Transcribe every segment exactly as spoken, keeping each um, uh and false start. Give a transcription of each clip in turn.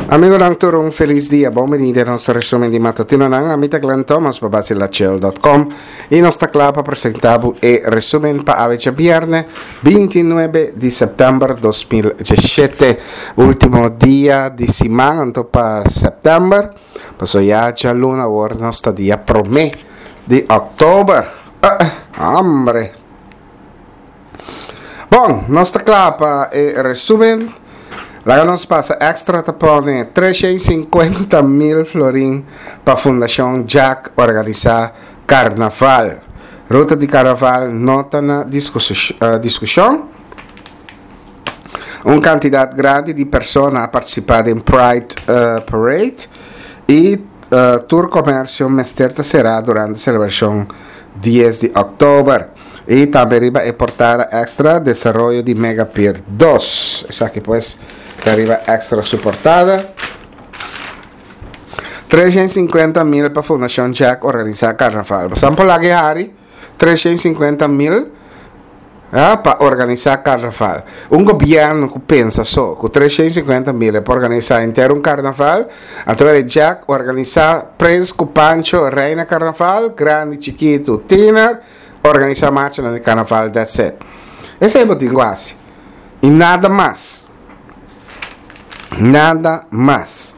Amigonan tur un felis dia, bon bini den nos resumen di matutinonan. Ami ta Glenn Thomas pa Basilachel dot com y nos ta cla pa presenta bo e resumen pa awe djabierne binti nuebe di september dos mil diesshete, ultimo dia di siman anto pa september, paso ya djaluna awor nos ta dia prome di october. Hombre! Bon, nos ta cla pa e resumen. Laga nos pasa Extra ta pone treshen sinkuenta mil florin pa Fundashon Jack organisa Karnaval. Ruta di Karnaval no ta na diskushon. Un kantidat grandi di persona a partisipa den Pride Parade i tur komersio mester ta será durante selebrashon dies di òktober. I tambe riba e portada Extra desaroyo di Megapier dos. Esaki pues ta riba Extra su portada. Trescientos cincuenta mil pa Fundacion Jack organisa carnaval. Bosan por laga e hari trescientos cincuenta mil ah, pa organisa carnaval. Un gobierno cu pensa so cu trescientos cincuenta mil e por organisa henter un carnaval, anto e Jack organisa Prins cu Pancho Reina Carnaval, grandi, chikitu, tiener, organisa marchanan di carnaval, that's it. Esey bo tin cu haci. Y nada mas. Nada mas.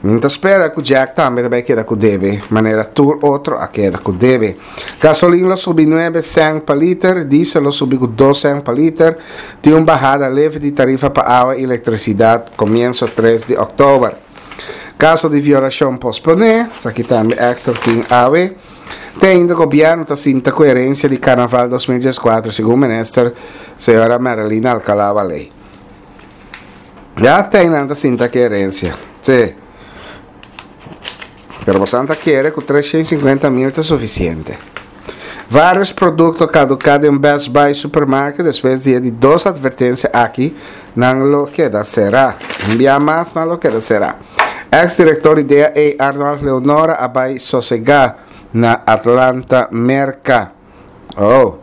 Mi ta spera cu Jack tambe ta bay keda cu debe, manera tur otro a keda cu debe. Gasolin lo subi nuebe cent pa liter, diesel lo subi cu dos cent pa liter. Tin un bahada leve di tarifa pa awa y electricidad comienzo tres di october. Caso di violacion pospone, esaki tambe Extra tin awe. Te ainda gobierno ta sinta cu herencia di Carnaval dos mil diescuatro, segun minister señora Marilyn Alcalá Wallé. Ya te ainda ta sinta cu herencia. Sí. Pero bosan ta kere cu trescientos cincuenta mil ta suficiente. Varios producto caduca den Best Buy supermarket despues di e di dos advertencia aki, nan lo keda cera. Un bia mas nan lo keda cera. Ex director di D A A Arnold Leonora a bay sosega na Atlanta, Merca. Oh.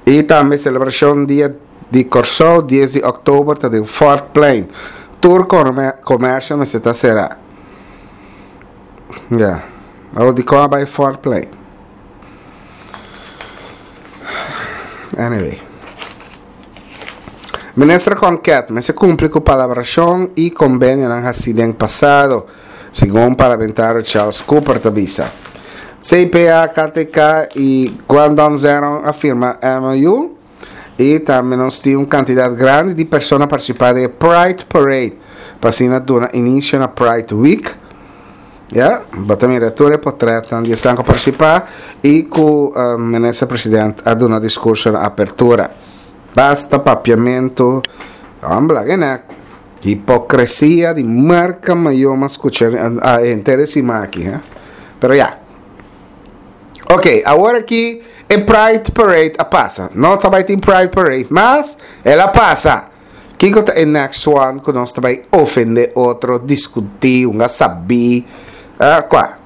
Y tambe celebracion dia di Corsou dies di october ta den Fort Plein. Tur comercio mester ta cera. Ja. Oh, di con a bay Fort Plein? Anyway. Minister Konket mester cumpli cu palabracion y convenionan haci den pasado, segun parlamentario Charles Cooper ta bisa. C P A, K T K y Guangdong Zhejiang a firma M O U y tambe nos tin un cantidad grandi di persona participa den e Pride Parade pa asina duna inicio na Pride Week. Ja, bo ta mira tur e potretnan di esnan cu participa y cu, eh, minister president a duna discurso na apertura. Basta papiamento, hombre, la gena, hipocresía di marca mayor mas escuchar a entero encima aquí, eh? Pero ya. Ok, ahora aquí e Pride Parade a pasa. No ta bai tin Pride Parade, mas el a pasa. Kiko ta e next one ku nos ta bai ofende otro, discuti, unga sabi, eh, kwa?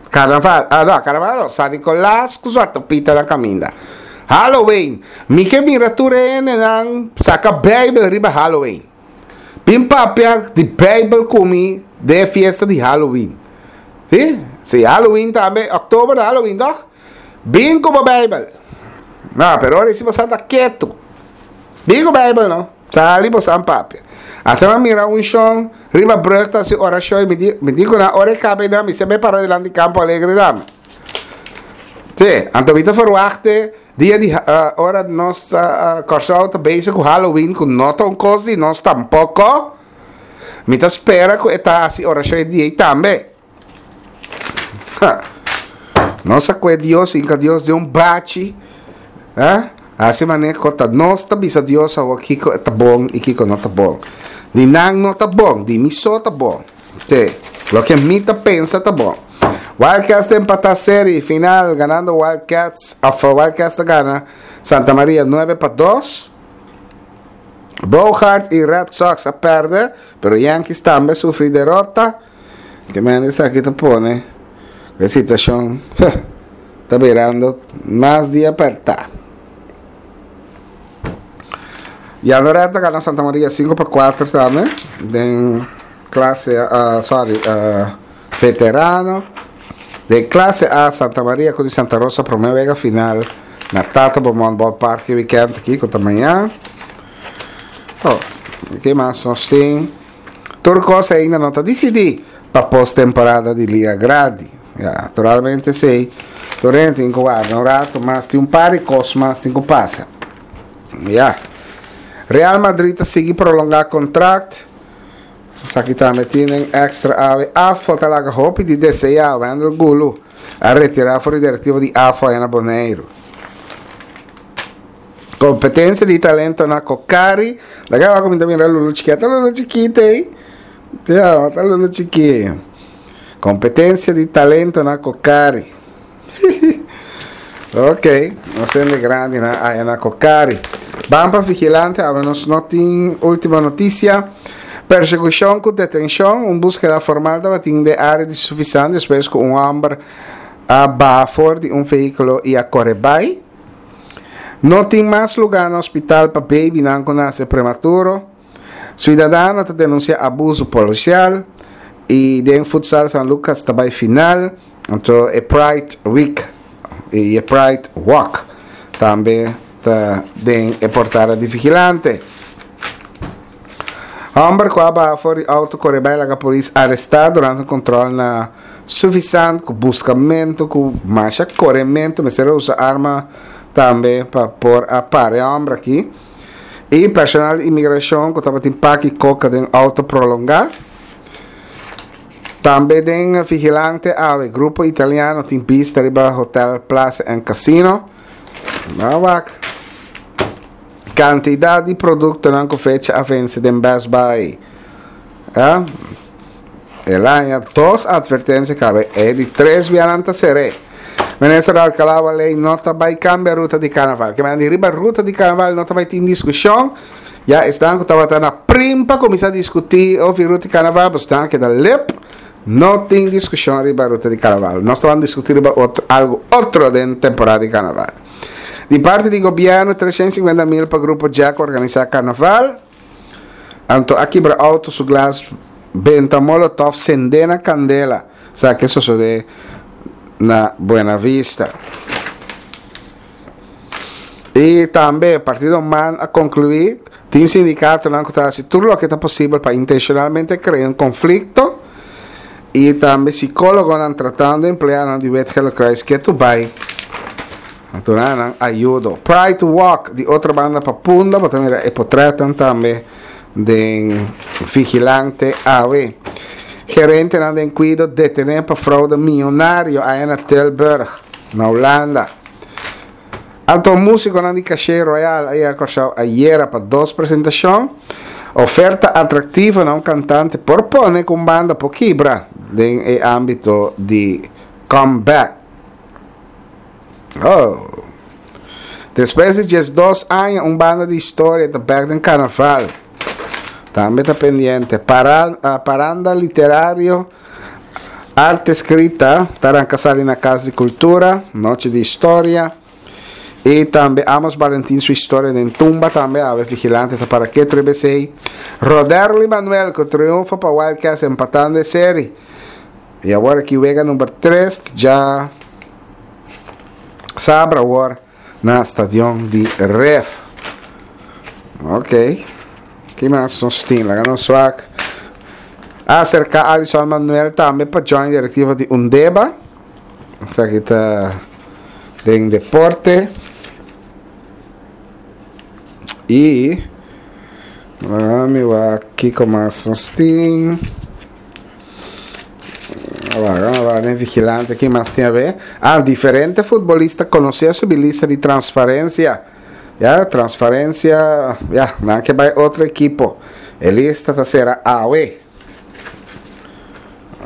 Carnaval, ah, no, carnaval no, San Nicolás ku Zwarte Piet na caminda. Halloween, mi ke mira tur hende nan saca Bijbel riba Halloween. Pin papia di Bijbel kumi de fiesta di Halloween. Si? Si, Halloween tambe, oktober de Halloween, toch? Bin ku bo Bijbel. No, pero ora si bo santa ketu. Bin ku Bijbel, no? Sali bo san papia. Hasta ma mira un shon riba brug ta si orashon, mi di, mi di ku na ora e kabe na, mi se be para dilanti Campo Alegre dame. Si, anto mi ta verwachte dia di, eh, ora nos, eh, Kòrsou ta bezig ku Halloween, ku no ta un kos di nos tampoko. Mi ta spera ku e ta hasi orashon e dia ei tambe. Ha. Nos a kue Dios, inka Dios den un bachi. Eh? Hasi mane kota nos ta bisa Dios awo kiko ta bon i kiko no ta bon. Di nan no ta bon, di mi so ta bon. Te, loke mi ta pensa ta bon. Wildcats ta empata serie final, ganando Wildcats, of Wildcats ta gana Santa Maria nuebe pa dos. Bogaerts y Red Sox a perde, pero Yankees tambe a sufri derota. Ke men esaki ta pone e situacion ta birando mas di aperta. Jandoret a gana Santa Maria sinku pa kuater tambe den klase uh, sorry, uh, veterano. Den klase A Santa Maria ku Santa Rosa promé wega final na Tata Beaumont Ballpark weekend aki ku ta mañan. Oh, ke mas nos tin? Tur kos ainda no ta disidí pa post-temporada di Liga Grandi. Ja, naturalmente si. Tur tin ku warda un ratu, mas tin un par di kos mas tin ku pasa. Ja. Real Madrid ta sigui prolongá kontrakt. Esaki tambe tin Extra awe. AFO ta laga hopi di deseá. Wendel Gulu a retirá for di direktiva di AFO na Boneiru. Kompetensia di talento na Cocari. Legal, ku tambe Lulu Chiquita, Lulu Chiquita, ei? Ja, ta Lulu Chiquita. Kompetensia di talento na Cocari. Ok, nos ta grandi na, na Cocari. Ban pa Vigilante, awe nos no tin Último Notisia. Persekushon ku detenshon, un búskeda formal tabatin den área di Suffisant despues ku un hòmber a baha for di un vehíkulo i a kore bai. No tin mas lugá na hospital pa baby nan ku nase prematuro. Siudadano ta denunsiá abuso polisial i den futsal San Lucas ta bai final. Anto, e Pride Week i e Pride Walk tambe ta den e portada di Vigilante. Hòmber ku a baha for di outo kore bai laga polis arestá durante un kontròl na Suffisant ku buskamentu ku masha korementu, mester usa arma tambe pa por a para e hòmber aki. I personal di imigrashon ku tabatin paki koka den outo prolongá. Tambe den Vigilante awe, grupo italiano tin bista riba Hotel Plaza and Casino. Wak. Kantidat di produktonan ku fecha a vense den Best Buy. Ja? El a haña dos atvertensia kaba, e di tres biaha nan ta ser'é. Minister Alcalá lei no ta bai kambia ruta di karnaval. Ke men riba ruta di karnaval no ta bai tin diskushon. Ya esnan ku tabata na prim pa kuminsá diskutí over ruta di karnaval, pues nan keda lep. No tin diskushon riba ruta di karnaval. Nos ta bai diskutí riba otro, algu otro den temporada di karnaval. Di parti di gobièrnu, treshen sinkuenta mil pa grupo Jack organisá karnaval. Anto a kibra outo su glas, benta molotov, sende na kandela. Sa ke sosodé na Buena Vista. I tambe partido MAN a konkluí, tin sindikatonan ku ta hasi tur loke ta posibel pa intenshonalmente krea un konflikto i tambe sikólogonan tratando empleadonan di Wit Gele Kruis ketu bai nan ayudo. Pride Walk di otro banda pa Punda, bo ta mira e portrèt tambe den Vigilante awe. Gerentenan den kuido detené pa froude mionario ei na Tilburg, na Hulanda. Anto músikonan di Caché Royal ei a ayera pa dos presentashon. Oferta atraktivo na un kantante por pone ku banda por kibra den ámbito di comeback. Oh. Despues di dos aña, un banda di historia ta back den karnaval. Tambe ta pendiente. Para, uh, paranda literario, Arte Eskrita, ta sali na Kas di Kultura, Noche di Historia. I tambe Amos Valentin su historia den tumba tambe, awe Vigilante ta para ke T B C. Roderly Manuel ku triunfo pa Wildcats empatando e serie. I awor aki wega number tres djasabra awor na stadion di Ref. Ok. Ke mas nos tin? Laga nos wak. Aserká Alison Manuel tambe pa join direktiva di Undeba. Esaki ta den deporte. I mi wak kiko mas nos tin. Bai, bai, den Vigilante, ke mas tin aber? Ah, diferente futbolista konosé su lista di transferensia. Ya, transferensia, ya, nan ke bai otro ekipo. E lista ta sera awe.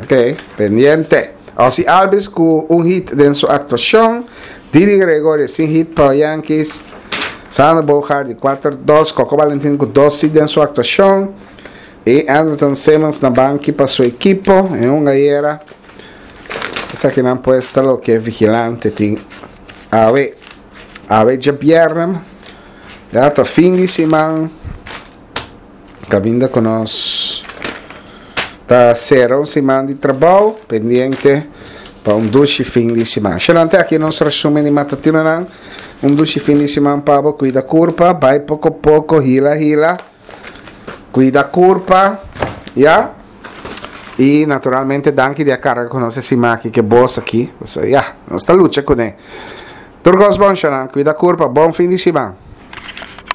Ok, pendiente. Ozzie Albies ku un hit den su aktuashon. Didi Gregorio sin hit pa Yankees. Xander Bogaerts di kuater dos. Coco Valentin ku dos hit den su aktuashon. I Andrelton Simmons na banki pa su ekipo den un ayera. Esaki nan pues ta loke Vigilante tin awe. Awe djabièrnè. Ya ta fin di siman. Kaminda ku nos ta sera un siman di trabou, pendiente pa un dushi fin di siman. Shalante aki nos resumen di matutino. Un dushi fin di siman pa bo. Kuida kurpa, bai poko poko, hila hila. Kuida kurpa, ya? I naturalmente danki di a karga ku nos e siman aki, ku bo aki. Ya, nos ta lucha kuné. Tur kos bon, kuida kurpa, bon fin di siman.